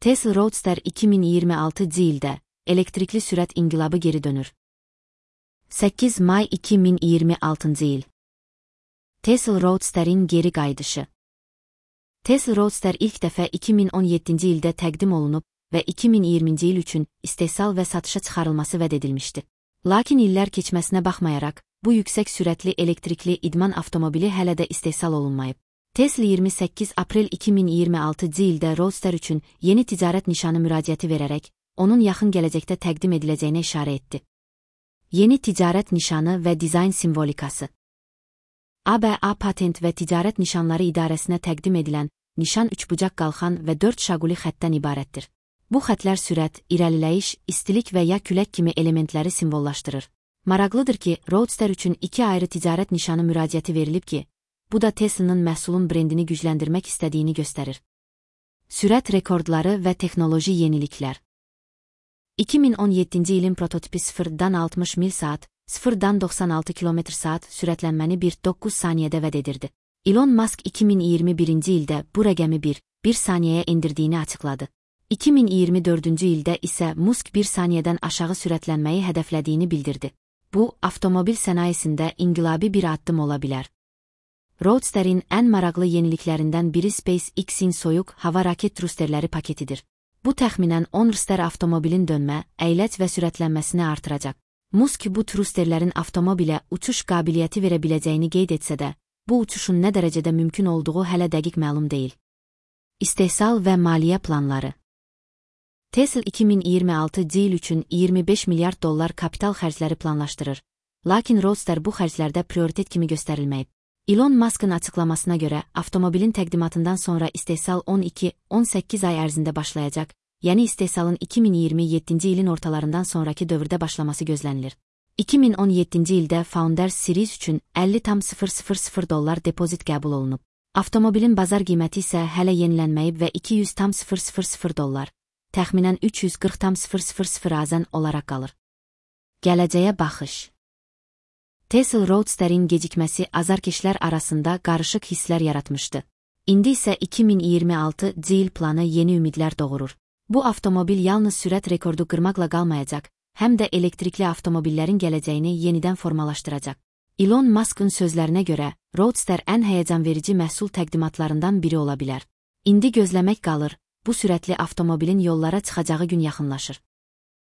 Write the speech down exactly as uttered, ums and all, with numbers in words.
Tesla Roadster iki min iyirmi altıncı ildə elektrikli sürət inqilabı geri dönür. səkkiz may iki min iyirmi altıncı il. Tesla Roadster'in geri qayıdışı. Tesla Roadster ilk dəfə iki min on yeddinci ildə təqdim olunub və iki min iyirminci il üçün istehsal və satışa çıxarılması vəd edilmişdi. Lakin illər keçməsinə baxmayaraq, bu yüksək sürətli elektrikli idman avtomobili hələ də istehsal olunmayıb. Tesla iyirmi səkkiz aprel iki min iyirmi altıncı ildə Roadster üçün yeni ticarət nişanı müraciəti verərək, onun yaxın gələcəkdə təqdim ediləcəyinə işarə etdi. Yeni ticarət nişanı və dizayn simvolikası. A B A Patent və Ticarət Nişanları İdarəsinə təqdim edilən nişan üçbucaq qalxan və dörd şaquli xəttdən ibarətdir. Bu xətlər sürət, irəliləyiş, istilik və ya külək kimi elementləri simvollaşdırır. Maraqlıdır ki, Roadster üçün iki ayrı ticarət nişanı müraciəti verilib ki, bu da Tesla'nın məhsulun brendini gücləndirmək istədiyini göstərir. Sürət rekordları və texnoloji yeniliklər. iki min on yeddinci ilin prototipi sıfırdan altmış mil saat, sıfırdan doxsan altı kilometr saat sürətlənməni bir nöqtə doqquz saniyədə vəd edirdi. Elon Musk iki min iyirmi birinci ildə bu rəqəmi bir nöqtə bir saniyəyə endirdiyini açıqladı. iki min iyirmi dördüncü ildə isə Musk bir saniyədən aşağı sürətlənməyi hədəflədiyini bildirdi. Bu, avtomobil sənayesində inqilabi bir addım ola bilər. Roadster'in ən maraqlı yeniliklərindən biri SpaceX'in soyuq hava raket trusterləri paketidir. Bu təxminən on rster avtomobilin dönmə, əyləc və sürətlənməsini artıracaq. Musk bu trusterlərin avtomobilə uçuş qabiliyyəti verə biləcəyini qeyd etsə də, bu uçuşun nə dərəcədə mümkün olduğu hələ dəqiq məlum deyil. İstehsal və maliyyə planları. Tesla iki min iyirmi altıncı il üçün iyirmi beş milyard dollar kapital xərcləri planlaşdırır. Lakin Roadster bu xərclərdə prioritet kimi göstərilməyib. Elon Musk'ın açıqlamasına görə, avtomobilin təqdimatından sonra istehsal on iki on səkkiz ay ərzində başlayacaq, yəni istehsalın iki min iyirmi yeddinci ilin ortalarından sonraki dövrdə başlaması gözlənilir. iki min on yeddinci ildə Founders Series üçün əlli tam sıfır sıfır sıfır dollar depozit qəbul olunub. Avtomobilin bazar qiyməti isə hələ yenilənməyib və iki yüz tam sıfır sıfır sıfır dollar, təxminən üç yüz qırx tam sıfır sıfır sıfır azən olaraq qalır. Gələcəyə baxış. Tesla Roadster'in gecikməsi azarkeşlər arasında qarışıq hisslər yaratmışdı. İndi isə iki min iyirmi altıncı il planı yeni ümidlər doğurur. Bu avtomobil yalnız sürət rekordu qırmaqla qalmayacaq, həm də elektrikli avtomobillərin gələcəyini yenidən formalaşdıracaq. Elon Musk'ın sözlərinə görə, Roadster ən həyəcanverici məhsul təqdimatlarından biri ola bilər. İndi gözləmək qalır, bu sürətli avtomobilin yollara çıxacağı gün yaxınlaşır.